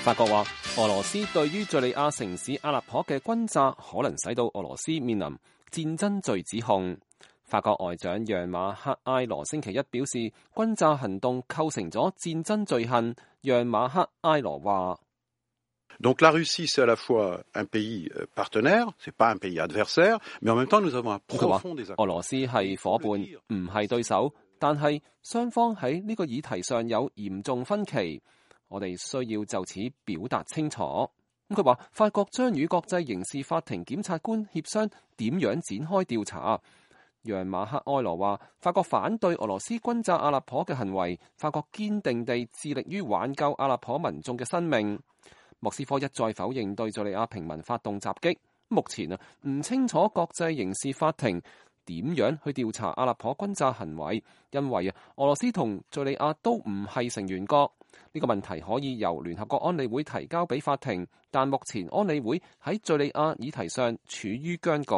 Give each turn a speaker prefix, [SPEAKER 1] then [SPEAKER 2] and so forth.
[SPEAKER 1] 法國話，俄羅斯對於敘利亞城市阿勒頗嘅轟炸，可能使到俄羅斯面臨戰爭罪指控。法國外長讓馬克埃羅星期一表示，轟炸行動構成咗戰爭罪行。讓馬克埃羅話
[SPEAKER 2] Donc la Russie c'est à la fois un pays partenaire, c'est pas un pays adversaire, mais en même temps nous avons un profond désaccord。
[SPEAKER 1] 俄羅斯係夥伴，唔係對手，但係雙方喺呢個議題上有嚴重分歧。我哋需要就此表達清楚。佢話法國將與國際刑事法庭檢察官協商點樣展開調查。讓馬克埃羅話法國反對俄羅斯轟炸阿勒頗嘅行為，法國堅定地致力於挽救阿勒頗民眾嘅生命。莫斯科一再否認對敘利亞平民發動襲擊。目前唔清楚國際刑事法庭點樣去調查阿勒頗轟炸行為，因為俄羅斯同敘利亞都唔係成員國。呢個問題可以由聯合國安理會提交俾法庭，但目前安理會喺敘利亞議題上處於僵局。